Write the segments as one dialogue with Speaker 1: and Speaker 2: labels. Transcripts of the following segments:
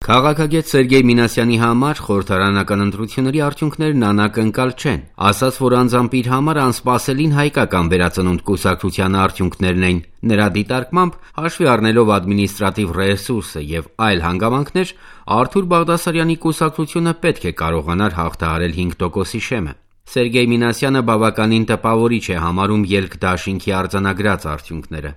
Speaker 1: Քաղաքագետ Սերգեյ Մինասյանի համար խորհրդարանական ընտրությունների արդյունքներն անակնկալ չեն, ասաց, որ անձամբ իր համար անսպասելին հայկական վերածնունդ կուսակցության արդյունքներն էին։ Նրա դիտարկմամբ, հաշվի առնելով ադմինիստրատիվ ռեսուրսը եւ այլ հանգամանքներ, Արթուր Բաղդասարյանի կուսակցությունը պետք է կարողանար հաղթահարել 5%-ի շեմը։ Սերգեյ Մինասյանը բավականին տպավորիչ է համարում ելք դաշինքի արձանագրած արդյունքները։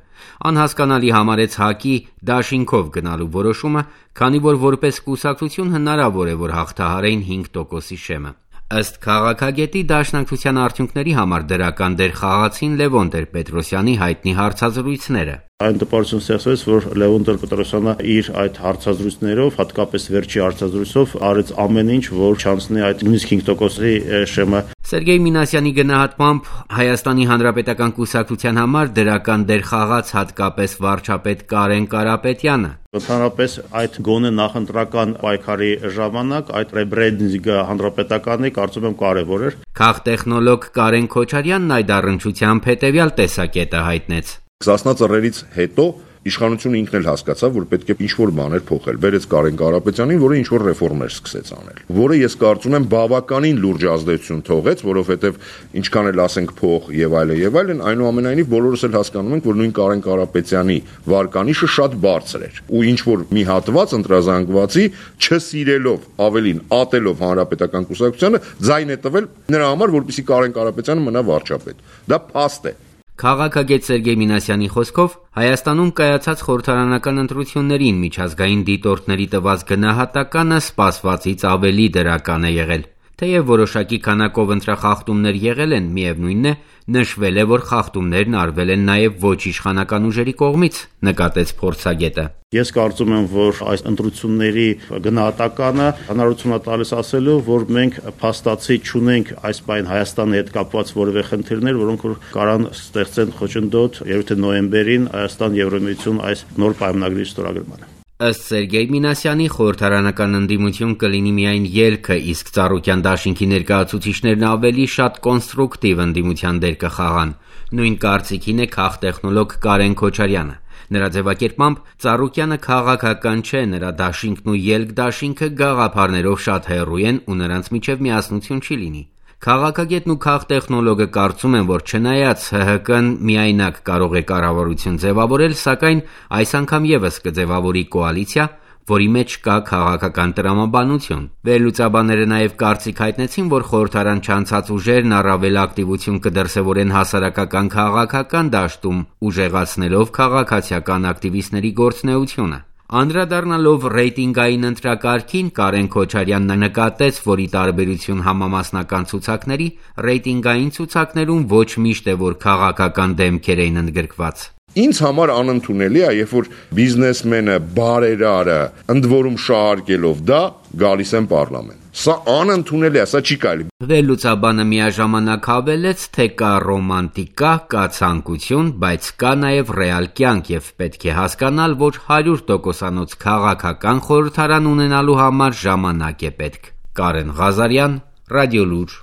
Speaker 1: Անհասկանալի համարեց ՀԱԿ-ի դաշինքով գնալու որոշումը, քանի որ որպես կուսակցություն հնարավոր է, որ հաղթահարեին 5%-ի շեմը։ Ըստ քաղաքագետի, դաշնակցության արդյունքների համար դրական դեր խաղացին Լևոն Տեր-Պետրոսյանի հայտնի հարցազրույցները։
Speaker 2: Այն տպավորություն ստեղծվեց, որ Լևոն Տեր-Պետրոսյանը իր այդ հարցազրույցներով, հատկապես վերջի հարցազրույցով, արեց ամեն ինչ, որ չանցնի այդ նույնիսկ 5%-ի շեմը։
Speaker 1: Սերգեյ Մինասյանի գնահատմամբ Հայաստանի Հանրապետական կուսակցության համար դրական դեր խաղաց հատկապես վարչապետ Կարեն Կարապետյանը։
Speaker 2: Ընդհանրապես այդ գոնե նախընտրական պայքարի ժամանակ այդ ռեբրենդինգը հանրապետականի կարծում եմ կարևոր էր։
Speaker 1: Քաղտեխնոլոգ Կարեն Քոչարյանն այդ առնչությամբ հետևյալ տեսակետը հայտնեց։
Speaker 3: Սասնա ծռերից հետո իշխանությունը ինքն էլ հասկացավ, որ պետք է ինչ-որ բաներ փոխել։ Բերեց Կարեն Կարապետյանին, որը ինչ-որ ռեֆորմեր սկսեց անել, որը ես կարծում եմ բավականին լուրջ ազդեցություն թողեց, որովհետև ինչքան էլ ասենք փող եւ այլն, այնուամենայնիվ բոլորս էլ հասկանում ենք, որ նույն Կարեն Կարապետյանի վարկանիշը շատ բարձր էր։ Ու ինչ-որ մի հատված ընտրազանգվածի չսիրելով, ավելին ատելով հանրապետական կուսակցությանը, ձայն է տվել նրա համար, որպեսզի Կարեն Կարապետյանը մնա վարչապետ։ Դա փաստ է։
Speaker 1: Քաղաքագետ Սերգեյ Մինասյանի խոսքով Հայաստանում կայացած խորհրդարանական ընտրություններին միջազգային դիտորդների տված գնահատականը սպասվածից ավելի դրական է եղել։ Թեև որոշակի քանակով ընտրախախտումներ եղել են, միևնույնն է, նշվել է, որ խախտումներն արվել են նաև ոչ իշխանական ուժերի կողմից, նկատեց փորձագետը։
Speaker 2: Ես կարծում եմ, որ այս ընտրությունների գնահատականը հնարավորություն է տալիս ասելու, որ մենք փաստացի չունենք այս պայն Հայաստանի հետ կապված որևէ խնդիրներ, որոնք որ կարան ստեղծեն խոչընդոտ, երբ թե նոյեմբերին Հայաստան-Եվրոմիություն այս նոր պայմանագրի ստորագրմանը։
Speaker 1: Ըստ Սերգեյ Մինասյանի, խորհրդարանական ընդդիմություն կլինի միայն ելքը, իսկ Ծառուկյան դաշինքի ներկայացուցիչներն ավելի շատ կոնստրուկտիվ ընդդիմության դեր կխաղան։ Նույն կարծիքին է քաղտեխնոլոգ Կարեն Քոչարյանը։ Նրա ձևակերպմամբ Ծառուկյանը քաղաքական չէ, նրա դաշինքն ու ելք դաշինքը գաղափարներով շատ հեռու են ու նրանց միջև միասնություն չի լինի։ Քաղաքագետն ու քաղտեխնոլոգը կարծում են, որ չնայած ՀՀԿ-ն միայնակ կարող է կառավարություն ձևավորել, սակայն այս անգամ եւս կձևավորի կոալիցիա, որի մեջ կա քաղաքական տրամաբանություն։ Վերլուծաբանները նաև կարծիք հայտնեցին, որ խորհրդարան չանցած ուժերն առավել ակտիվություն կդրսևորեն հասարակական քաղաքական դաշտում, ուժեղացնելով քաղաքացիական ակտիվիստների գործունեությունը։ Անդրադառնալով ռեյտինգային ընտրակարգին, Կարեն Քոչարյանն նկատեց, որ ի տարբերություն համամասնական ցուցակների, ռեյտինգային ցուցակներում ոչ միշտ է, որ քաղաքական դեմքեր էին ընդգրկված։
Speaker 3: Ինձ համար անընդունելի է, երբ որ բիզնեսմենը, բարերարը ընդ որում շահարկելով դա գալիս են պարլամենտ։ Սա անընդունելի է, սա չի կարելի։
Speaker 1: Վերլուծաբանը միաժամանակ հավելեց, թե կա ռոմանտիկա, կա ցանկություն, բայց կա նաև ռեալ կյանք եւ պետք է հասկանալ, որ 100%-անոց քաղաքական խորհրդարան ունենալու համար ժամանակ է պետք։ Կարեն Ղազարյան, Ռադիոլուր։